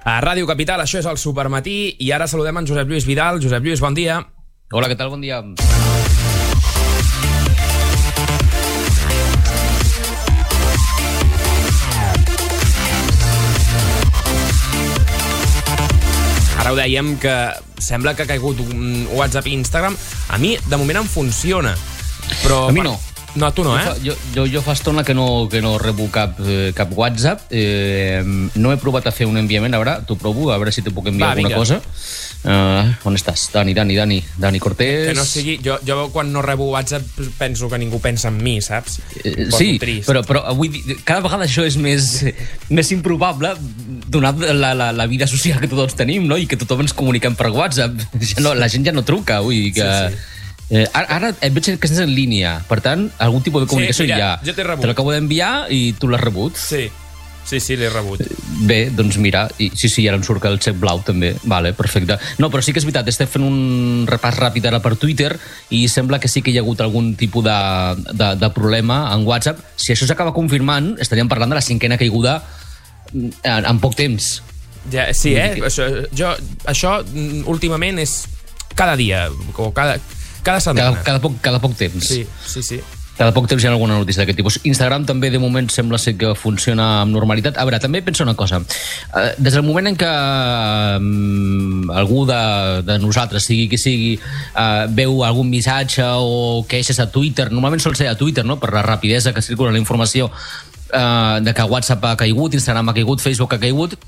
A Ràdio Capital, això és el Supermatí, i ara saludem en Josep Lluís Vidal. Josep Lluís, bon dia. Hola, què tal? Bon dia. Ara ho dèiem, que sembla que ha caigut un WhatsApp i Instagram. A mi, de moment, em funciona. Però, a mi no. No, tu no, Jo fa estona que no rebo cap WhatsApp. No he provat a fer un enviament. A veure, t'ho provo, a veure si te puc enviar alguna cosa. On estàs? Dani Cortés. Que no sigui... Jo quan no rebo WhatsApp penso que ningú pensa en mi, saps? Sí, però avui cada vegada això és més improbable, donat la vida social que tots tenim, no? I que tothom ens comuniquem per WhatsApp. La gent ja no truca, vull que... Sí. Ara et veig que estàs en línia, per tant, algun tipus de comunicació mira, hi ha. Jo t'he rebut. Te l'acabo d'enviar i tu l'has rebut. Sí, l'he rebut. Bé, doncs mira, sí, ara em surt el xec blau també. Vale, perfecte. No, però sí que és veritat, estem fent un repàs ràpid ara per Twitter i sembla que sí que hi ha hagut algun tipus de problema en WhatsApp. Si això s'acaba confirmant, estaríem parlant de la 5ª caiguda en poc temps. Ja, sí, Això últimament és cada dia, o cada setmana. Cada poc temps. Sí. Cada poc temps hi ha alguna notícia d'aquest tipus. Instagram també, de moment, sembla ser que funciona amb normalitat. A veure, també penso una cosa. Des del moment en què algú de nosaltres, sigui qui sigui, veu algun missatge o queixes a Twitter, normalment sol ser a Twitter, no?, per la rapidesa que circula la informació de que WhatsApp ha caigut, Instagram ha caigut, Facebook ha caigut,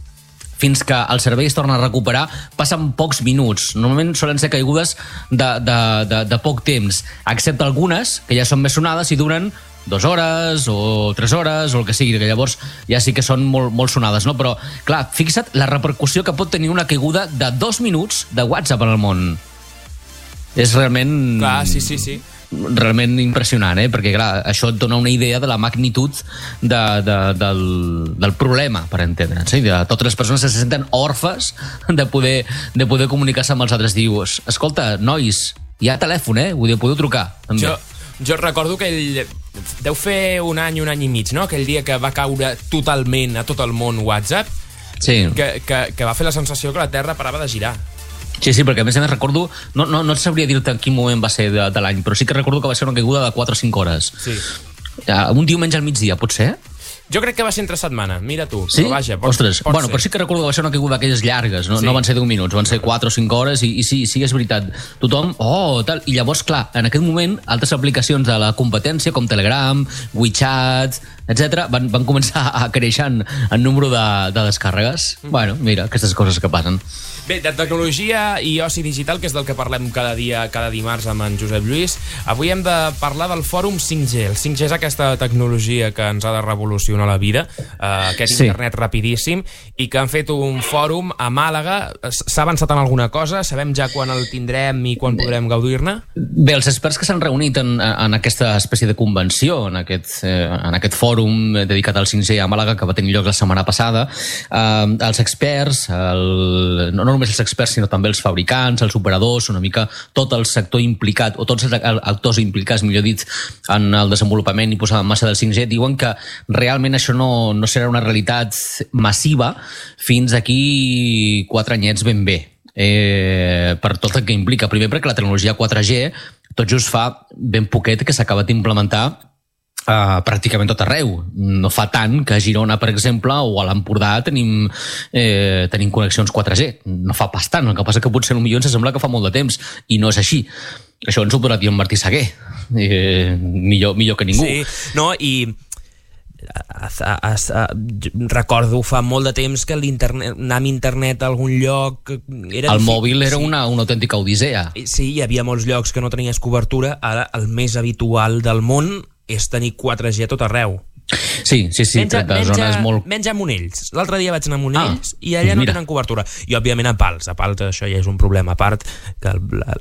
fins que el servei es torna a recuperar, passen pocs minuts. Normalment solen ser caigudes de poc temps, excepte algunes que ja són més sonades i duren 2 hores o 3 hores o el que sigui, que llavors ja sí que són molt sonades, no? Però, clar, fixa't la repercussió que pot tenir una caiguda de 2 minuts de WhatsApp en el món. És realment... Clar, sí. Realment impressionant, perquè clar, això et dona una idea de la magnitud del problema, per entendre'ns, de totes les persones que se senten orfes de poder comunicar-se amb els altres. Dius, escolta, nois, hi ha telèfon, vull dir, podeu trucar també. Jo recordo que deu fer un any i mig, no?, aquell dia que va caure totalment a tot el món WhatsApp, que va fer la sensació que la Terra parava de girar. Sí, perquè a més recordo, no et sabria dir-te en quin moment va ser de l'any, però sí que recordo que va ser una caiguda de 4 o 5 hores. Sí. Un diumenge al migdia, pot ser? Jo crec que va ser entre setmana, mira tu. Sí? Però vaja, Ostres, bueno, però sí que recordo que va ser una caiguda d'aquelles llargues, no van ser 10 minuts, van ser 4 o 5 hores i sí, és veritat. Tothom, tal. I llavors, clar, en aquest moment, altres aplicacions de la competència, com Telegram, WeChat, etc., van començar a créixer en número de descàrregues. Bueno, mira, aquestes coses que passen. Bé, de tecnologia i oci digital, que és del que parlem cada dia, cada dimarts amb en Josep Lluís, avui hem de parlar del fòrum 5G. El 5G és aquesta tecnologia que ens ha de revolucionar la vida, aquest internet rapidíssim, i que han fet un fòrum a Màlaga. S'ha avançat en alguna cosa? Sabem ja quan el tindrem i quan podrem gaudir-ne? Bé, els experts que s'han reunit en aquesta espècie de convenció, en aquest fòrum dedicat al 5G a Màlaga, que va tenir lloc la setmana passada, els experts, no només els experts, sinó també els fabricants, els operadors, una mica tot el sector implicat, o tots els actors implicats, millor dit, en el desenvolupament i posada en marxa del 5G, diuen que realment això no serà una realitat massiva fins aquí 4 anyets ben bé. Per tot el que implica. Primer, perquè la tecnologia 4G tot just fa ben poquet que s'ha acabat d'implementar pràcticament tot arreu. No fa tant que a Girona, per exemple, o a l'Empordà tenim connexions 4G. No fa pas tant. El que passa que potser potser ens sembla que fa molt de temps i no és així. Això ens ho podrà dir en Martí Seguer. Millor que ningú. Sí, no, i recordo fa molt de temps que anar amb internet a algun lloc era el mòbil era una autèntica odissea. Sí, hi havia molts llocs que no tenies cobertura. Ara el més habitual del món és tenir 4G a tot arreu. Sí, zones molt... Menja a Monells. L'altre dia vaig anar a Monells i allà no tenen cobertura. I, òbviament, a Pals. A Pals això ja és un problema. A part que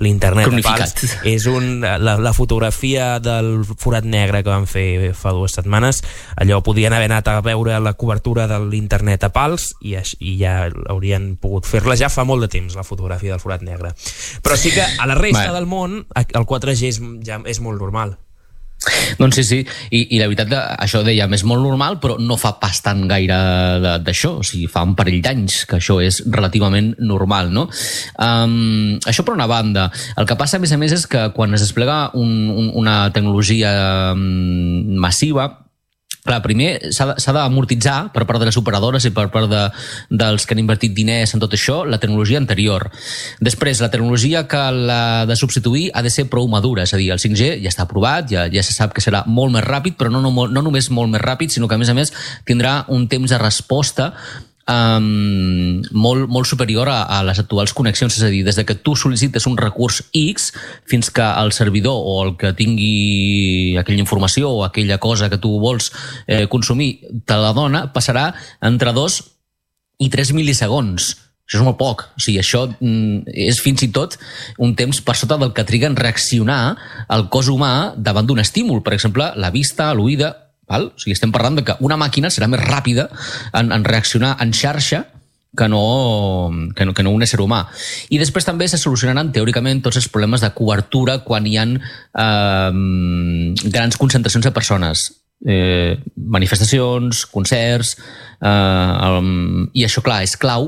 l'internet a Pals és la fotografia del forat negre que van fer fa 2 setmanes. Allò podien haver anat a veure la cobertura de l'internet a Pals i ja haurien pogut fer-la ja fa molt de temps, la fotografia del forat negre. Però sí que a la resta del món el 4G és molt normal. Doncs sí, i la veritat, això dèiem, és molt normal, però no fa pas tant gaire d'això, o sigui, fa un parell d'anys que això és relativament normal, no? Això per una banda. El que passa, a més, és que quan es desplega una tecnologia massiva, clar, primer s'ha d'amortitzar per part de les operadores i per part dels que han invertit diners en tot això, la tecnologia anterior. Després, la tecnologia que l'ha de substituir ha de ser prou madura, és a dir, el 5G ja està aprovat, ja se sap que serà molt més ràpid, però no només molt més ràpid, sinó que a més tindrà un temps de resposta molt superior a les actuals connexions, és a dir, des que tu sol·licites un recurs X fins que el servidor o el que tingui aquella informació o aquella cosa que tu vols consumir te la dona, passarà entre 2 i 3 mil·lisegons. Això és molt poc. O sigui, això és fins i tot un temps per sota del que triga en reaccionar el cos humà davant d'un estímul. Per exemple, la vista, l'oïda. Val? O sigui, estem parlant de que una màquina serà més ràpida en reaccionar en xarxa que no un ésser humà. I després també se solucionaran, teòricament, tots els problemes de cobertura quan hi ha grans concentracions de persones. Manifestacions, concerts... I això, clar, és clau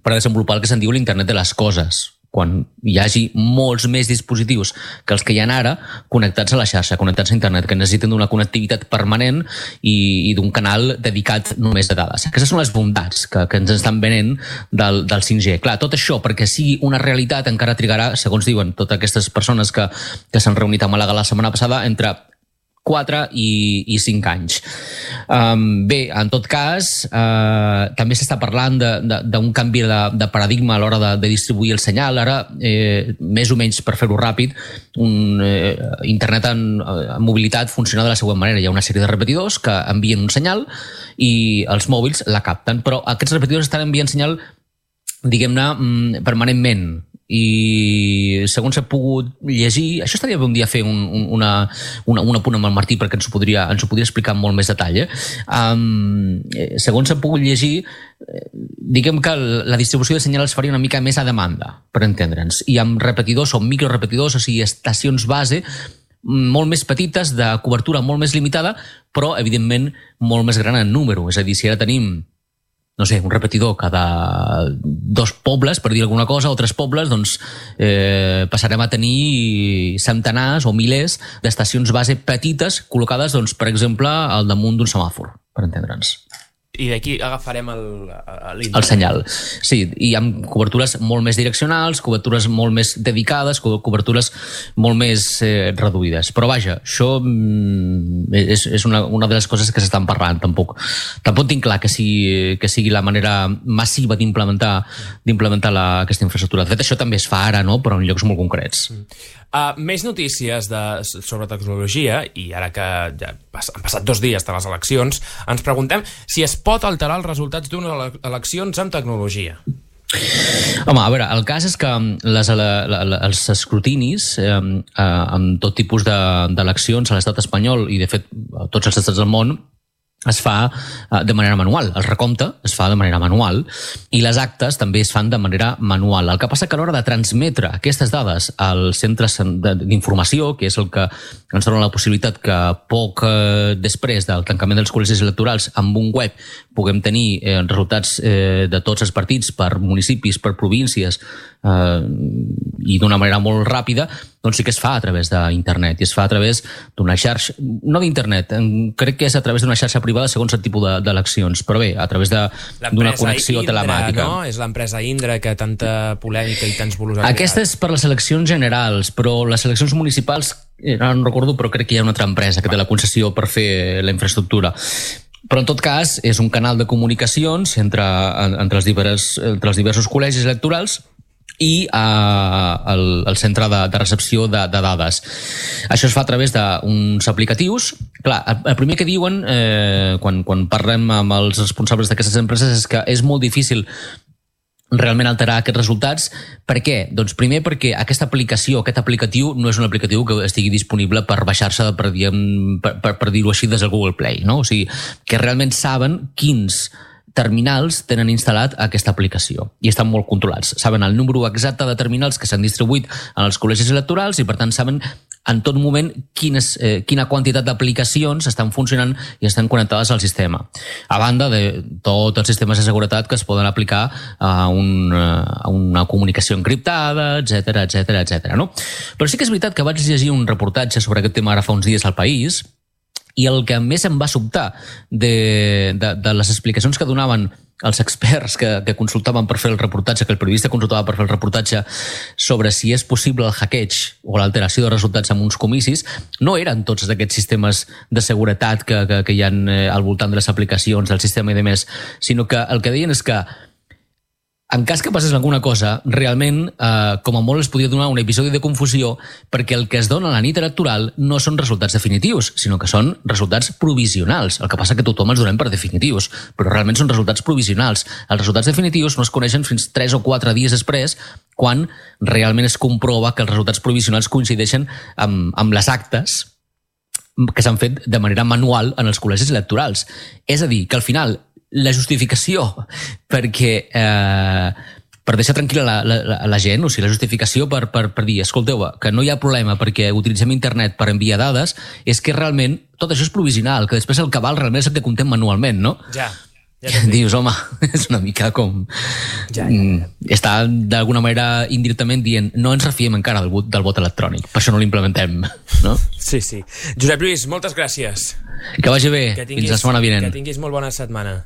per desenvolupar el que se'n diu l'internet de les coses, quan hi hagi molts més dispositius que els que hi ha ara connectats a la xarxa, connectats a internet, que necessiten d'una connectivitat permanent i d'un canal dedicat només a dades. Aquestes són les bondats que ens estan venent del 5G. Clar, tot això, perquè sigui una realitat, encara trigarà, segons diuen totes aquestes persones que s'han reunit a Màlaga la setmana passada, entre 4 i 5 anys. Bé, en tot cas, també s'està parlant d'un canvi de paradigma a l'hora de distribuir el senyal. Ara, més o menys per fer-ho ràpid, internet en mobilitat funciona de la següent manera. Hi ha una sèrie de repetidors que envien un senyal i els mòbils la capten, però aquests repetidors estan enviant senyal, diguem-ne, permanentment. I segons he pogut llegir, això estaria bé un dia fer un apunt amb el Martí perquè ens ho podria explicar amb molt més detall. Segons he pogut llegir, diguem que la distribució de senyal es faria una mica més a demanda, per entendre'ns, i amb repetidors o microrepetidors, o sigui, estacions base molt més petites, de cobertura molt més limitada, però evidentment molt més gran en número. És a dir, si ara tenim, no sé, un repetidor cada 2 pobles, per dir alguna cosa, o 3 pobles, doncs passarem a tenir centenars o milers d'estacions base petites col·locades, doncs, per exemple, al damunt d'un semàfor, per entendre'ns. I d'aquí agafarem el senyal. Sí, i amb cobertures molt més direccionals, cobertures molt més dedicades, cobertures molt més reduïdes. Però vaja, això és una de les coses que s'estan parlant. Tampoc tinc clar que sigui la manera massiva d'implementar aquesta infraestructura. De fet, això també es fa ara, no? Però en llocs molt concrets. Més notícies sobre tecnologia, i ara que ja han passat 2 dies de les eleccions, ens preguntem si es pot alterar els resultats d'unes eleccions amb tecnologia. Home, a veure, el cas és que els escrutinis amb tot tipus d'eleccions a l'estat espanyol i, de fet, a tots els estats del món, es fa de manera manual. El recompte es fa de manera manual i les actes també es fan de manera manual. El que passa que a l'hora de transmetre aquestes dades als centres d'informació, que és el que ens dona la possibilitat que poc després del tancament dels col·legis electorals amb un web puguem tenir resultats de tots els partits per municipis, per províncies i d'una manera molt ràpida, doncs sí que es fa a través d'internet i es fa a través d'una xarxa, no d'internet, crec que és a través d'una xarxa privada segons el tipus d'eleccions, però bé, a través d'una connexió telemàtica. No? És l'empresa Indra que tanta polèmica i tants bulos ha creat. Aquesta és per les eleccions generals, però les eleccions municipals, no recordo, però crec que hi ha una altra empresa que té la concessió per fer la infraestructura. Però en tot cas és un canal de comunicacions entre els diversos col·legis electorals i el centre de recepció de dades. Això es fa a través d'uns aplicatius. Clar, el primer que diuen quan parlem amb els responsables d'aquestes empreses és que és molt difícil realment alterar aquests resultats. Per què? Doncs primer perquè aquesta aplicació, aquest aplicatiu, no és un aplicatiu que estigui disponible per baixar-se, per dir-ho així, des del Google Play, no? O sigui, que realment saben quins terminals tenen instal·lat aquesta aplicació i estan molt controlats. Saben el número exacte de terminals que s'han distribuït en els col·legis electorals i, per tant, saben en tot moment quina quantitat d'aplicacions estan funcionant i estan connectades al sistema. A banda de tots els sistemes de seguretat que es poden aplicar a una comunicació encriptada, etc. No? Però sí que és veritat que vaig llegir un reportatge sobre aquest tema ara fa uns dies al País, i el que més em va sobtar de les explicacions que donaven els experts que consultaven per fer el reportatge, que el periodista consultava per fer el reportatge sobre si és possible el hackeig o l'alteració de resultats en uns comicis, no eren tots aquests sistemes de seguretat que hi ha al voltant de les aplicacions del sistema i demés, sinó que el que deien és que en cas que passés alguna cosa, realment, com a molt es podia donar un episodi de confusió perquè el que es dona a la nit electoral no són resultats definitius, sinó que són resultats provisionals. El que passa que tothom els donem per definitius, però realment són resultats provisionals. Els resultats definitius no es coneixen fins 3 o 4 dies després, quan realment es comprova que els resultats provisionals coincideixen amb les actes que s'han fet de manera manual en els col·legis electorals. És a dir, que al final la justificació per deixar tranquil·la la gent, o sigui, la justificació per dir, escolteu, que no hi ha problema perquè utilitzem internet per enviar dades, és que realment tot això és provisional, que després el que val realment és el que comptem manualment, no? Ja dius, home, és una mica com... Està d'alguna manera indirectament dient no ens refiem encara del vot electrònic, per això no l'implementem, no? Sí. Josep Lluís, moltes gràcies. Que vagi bé, fins la setmana vinent. Que tinguis molt bona setmana.